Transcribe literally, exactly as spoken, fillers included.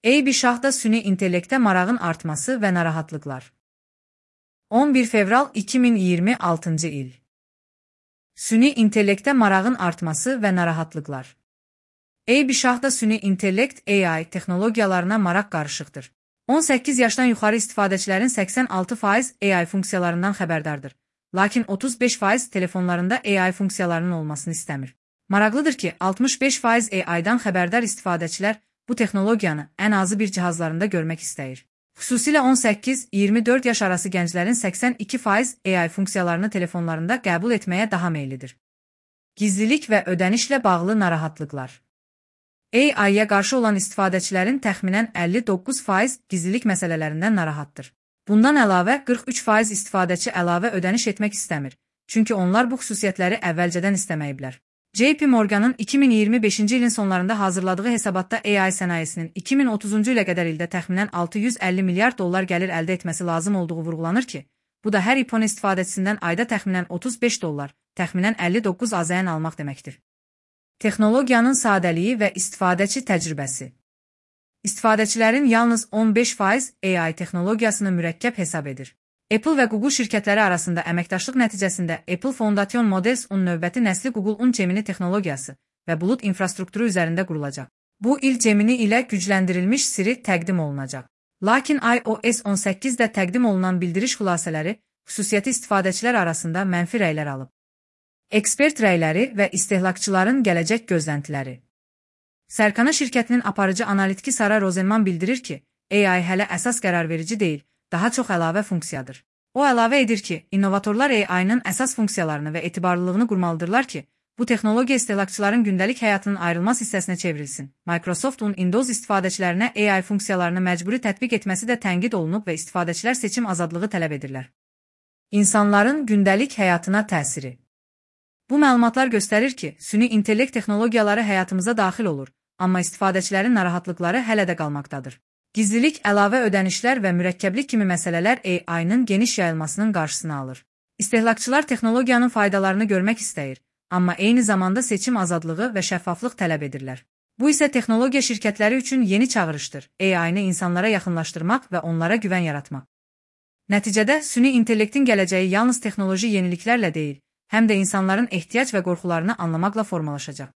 Eybi şahda süni intellektə marağın artması və narahatlıqlar. on bir fevral iki min iyirmi altıncı il. Süni intellektə marağın artması və narahatlıqlar. Eybi şahda süni intellekt A I texnologiyalarına maraq qarışıqdır. on səkkiz yaşdan yuxarı istifadəçilərin səksən altı faiz A I funksiyalarından xəbərdardır. Lakin otuz beş faiz telefonlarında A I funksiyalarının olmasını istəmir. Maraqlıdır ki, altmış beş faiz A I-dan xəbərdar istifadəçilər bu texnologiyanı ən azı bir cihazlarında görmək istəyir. Xüsusilə on səkkiz iyirmi dörd yaş arası gənclərin səksən iki faiz A I funksiyalarını telefonlarında qəbul etməyə daha meyillidir. Gizlilik və ödənişlə bağlı narahatlıqlar. A I-yə qarşı olan istifadəçilərin təxminən əlli doqquz faiz gizlilik məsələlərindən narahatdır. Bundan əlavə qırx üç faiz istifadəçi əlavə ödəniş etmək istəmir, çünki onlar bu xüsusiyyətləri əvvəlcədən istəməyiblər. J P Morgan'ın iki min iyirmi beşinci ilin sonlarında hazırladığı hesabatda A I sənayesinin iki min otuzuncu ilə qədər ildə təxminən altı yüz əlli milyard dollar gəlir əldə etməsi lazım olduğu vurğulanır ki, bu da hər iPhone istifadəçisindən ayda təxminən otuz beş dollar, təxminən əlli doqquz A Z N almaq deməkdir. Texnologiyanın sadəliyi və istifadəçi təcrübəsi. İstifadəçilərin yalnız on beş faiz A I texnologiyasını mürəkkəb hesab edir. Apple və Google şirkətləri arasında əməkdaşlıq nəticəsində Apple Foundation Models-un növbəti nəsli Google-un Gemini texnologiyası və bulut infrastrukturu üzərində qurulacaq. Bu il Gemini ilə gücləndirilmiş Siri təqdim olunacaq. Lakin i O S on səkkizdə təqdim olunan bildiriş xülasələri xüsusiyyəti istifadəçilər arasında mənfi rəylər alıb. Ekspert rəyləri və istehlakçıların gələcək gözləntiləri. Sərkana şirkətinin aparıcı analitiki Sara Rosenman bildirir ki, A I hələ əsas qərarverici deyil, daha çox əlavə funksiyadır. O əlavə edir ki, innovatorlar A I-nın əsas funksiyalarını və etibarlılığını qurmalıdırlar ki, bu texnologiya istehlakçıların gündəlik həyatının ayrılmaz hissəsinə çevrilsin. Microsoft-un Windows istifadəçilərinə A I funksiyalarını məcburi tətbiq etməsi də tənqid olunub və istifadəçilər seçim azadlığı tələb edirlər. İnsanların gündəlik həyatına təsiri. Bu məlumatlar göstərir ki, süni intellekt texnologiyaları həyatımıza daxil olur, amma istifadəçilərin narahatlıqları hələ də qalmaqdadır. Gizlilik, əlavə ödənişlər və mürəkkəblik kimi məsələlər A I-nın geniş yayılmasının qarşısını alır. İstehlakçılar texnologiyanın faydalarını görmək istəyir, amma eyni zamanda seçim azadlığı və şəffaflıq tələb edirlər. Bu isə texnologiya şirkətləri üçün yeni çağırışdır, A I-nı insanlara yaxınlaşdırmaq və onlara güvən yaratmaq. Nəticədə, süni intellektin gələcəyi yalnız texnoloji yeniliklərlə deyil, həm də insanların ehtiyac və qorxularını anlamaqla formalaşacaq.